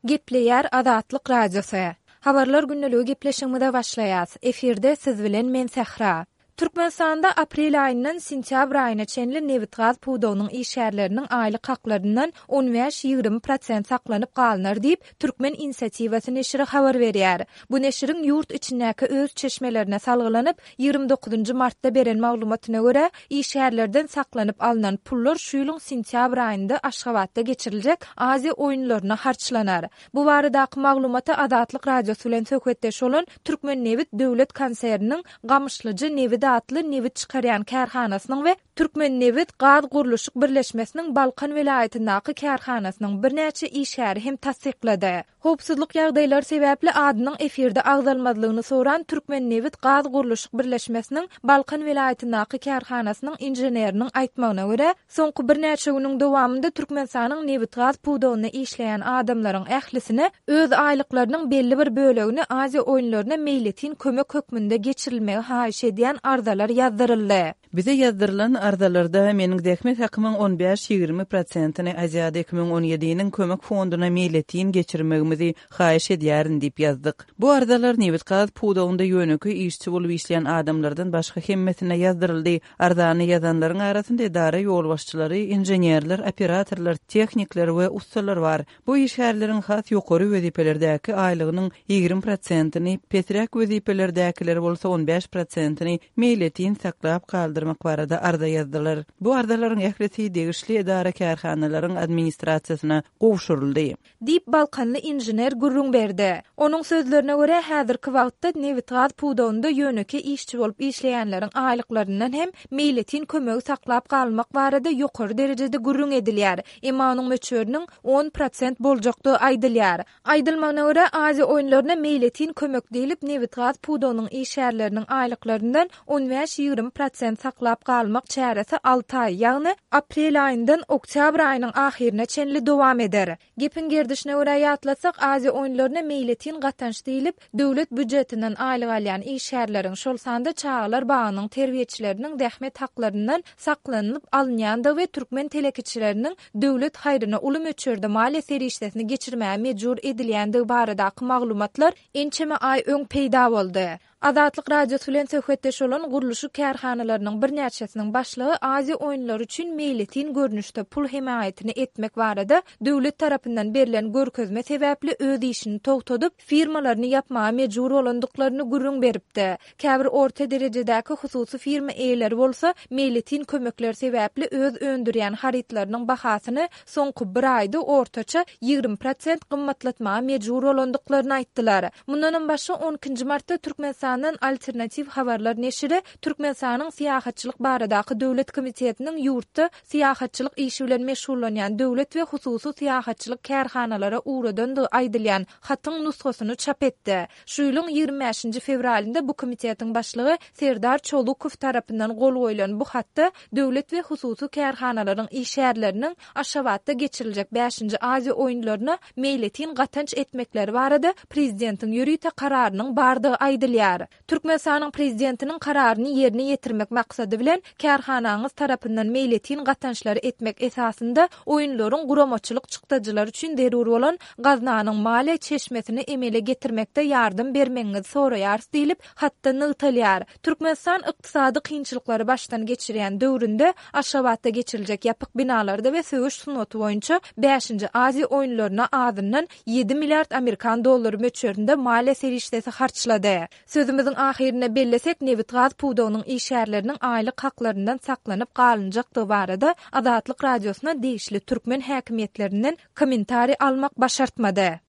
Gepleýär Azatlyk Radiosy. Habarlar gündeligi gepleşigimize başlaýas. Efirde siz bilen men Sähra. Türkmenistanda aprel aýyndan sentýabr aýyna çenli nebitgaz pudagynyň işgärleriniň aýlyk haklaryndan on bäş-ýigrimi prosent saklanyp galynar diýip, Türkmen inisiatiwasy neşiri habar berýär. Bu neşiriň ýurt içindäki öz çeşmelerine salgylanyp, 29-njy martda beren maglumatyna görä, işgärlerden saklanyp alnan pullar şu ýylyň sentýabr aýynda Aşgabatda geçiriljek Aziýa oýunlaryna harçlanar. Bu baradaky maglumaty Azatlyk Radiosy bilen söhbetdeş bolan Türkmennebit döwlet konserniniň Gamyşlyja nebit atly nebit çykarýan kärhanasynyň we Türkmennebit gaz gurluşyk birleşmesiniň Balkan welaýatyndaky kärhanasynyň birnäçe işgäri hem tassyklady. Howpsuzlyk ýagdaýlary sebäpli adynyň efirde agzalmazlygyny soran Türkmennebit gaz gurluşyk birleşmesiniň Balkan welaýatyndaky kärhanasynyň inženeriniň aýtmagyna görä, soňky birnäçe günüň dowamynda Türkmenistanyň nebitgaz pudagynda işleýän adamlaryň ählisine öz aýlyklarynyň belli bir bölegini Aziýa oýunlaryna meýletin kömek hökmünde geçirilmegi haýyş edýän arzalar ýazdyryldy. Bize ýazdyrylan arzalarda meniň zähmet hakymyň on bäş-ýigrimi prosentini Aziada 2017-niň kömek fonduna meýletin geçirmegimizi haýyş edýärin diýip ýazdyk. Bu arzalar nebit-gaz pudagynda ýönekeý işçi bolup işleýän adamlardan başga hemmesine ýazdyryldy. Arzany ýazanlaryň arasynda edara ýolbaşçylary, inženerler, operatorlar, tehnikler we ussalar bar. Bu işgärleriň has ýokary wezipelerdäki aýlygynyň 20 prosentini, pesräk wezipelerdäkileri bolsa 15 prosentini meýletin saklap galdyrmak barada arza ýazdylar. Bu arzalaryň ählisi degişli edara-kärhanalaryň administrasiýasyna gowşuryldy. Diýip, balkanly inžener gürrüň berdi. Onuň sözlerine görä, häzirki wagtda nebitgaz pudagynda ýönekeý işçi bolup işleýänleriň aýlyklaryndan hem meýletin kömegi saklap galmak barada ýokary derejede gürrüň edilýär. Emma onuň möçberiniň 10 prosent boljakdygy aýdylýar. Aýdylmagyna görä, Aziýa oýunlaryna meýletin kömek diýlip, nebitgaz pudagynyň işgärleriniň aýlyklaryndan 15-20 prosent saklap galmak çäresi alty aý, ýagny aprel aýyndan oktýabr aýynyň ahyryna çenli dowam eder. Gepiň gerdişine görä ýatlatsak, Aziýa oýunlaryna meýletin gatanç diýlip, döwlet býujetinden aýlyk alýan işgärleriň, şol sanda çagalar bagynyň terbiýeçileriniň zähmet haklaryndan saklanylyp alynýandygy we türkmen telekeçileriniň döwlet haýryna uly möçberde maliýe serişdesini geçirmäge mejbur edilýändigi baradaky maglumatlar ençeme aý öň peýda boldy. Azatlyk Radiosy bilen söhbetdeş bolan gurluşyk kärhanalarynyň birnäçesiniň başlygy Aziýa oýunlary üçin meýletin görnüşde pul hemaýatyny etmek barada döwlet tarapyndan berlen görkezme sebäpli öz işini togtadyp, firmalaryny ýapmaga mejbur bolandyklaryny gürrüň beripdi. Käbir orta derejedäki hususy firma eýeleri bolsa meýletin kömekler sebäpli öz öndürýän harytlarynyň bahasyny soňky bir aýda ortaça 20 prosent gymmatlatmaga mejbur bolandyklaryny aýtdylar. Mundanam başga, on ikinji martda Türkmenistandan Alternatiw habarlar neşiri Türkmenistanyň Syýahatçylyk baradaky döwlet komitetiniň ýurtda syýahatçylyk işi bilen meşgullanýan döwlet we hususy syýahatçylyk kärhanalara ugradandygy aýdylýan hatyň nusgasyny çap etdi. Şu ýylyň 25-nji fewralynda bu komitetiň başlygy Serdar Çolukow tarapyndan gol goýlan bu hatda döwlet we hususy kärhanalaryň işgärleriniň Aşgabatda geçiriljek bäşinji Aziýa oýunlaryna meýletin gatanç etmekleri barada prezidentiň ýörite kararynyň bardygy aýdylýar. Türkmenistanyň Prezidentiniň kararyny ýerine ýetirmek maksady bilen, kärhanaňyz tarapyndan meýletin gatançlary etmek esasynda oýunlaryň guramaçylyk çykdajylary üçin zerur bolan gaznanyň maliýe çeşmesini emele getirmekde ýardam bermegiňizi soraýarys diýlip, hatda nygtalýar. Türkmenistan ykdysady kynçylyklary başdan geçirýän döwründe Aşgabatda geçiriljek ýapyk binalarda we söweş sungaty boýunça bäşinji Aziýa oýunlaryna azyndan ýedi milliard amerikan dollary möçberinde maliýe serişdesi harçlady. Sözümiziň ahyrynda bellesek, nebitgaz pudagynyň işgärleriniň aýlyk haklaryndan saklanyp galynjakdygy barada Azatlyk Radiosyna degişli türkmen häkimiýetlerinden kommentariý almak başartmady.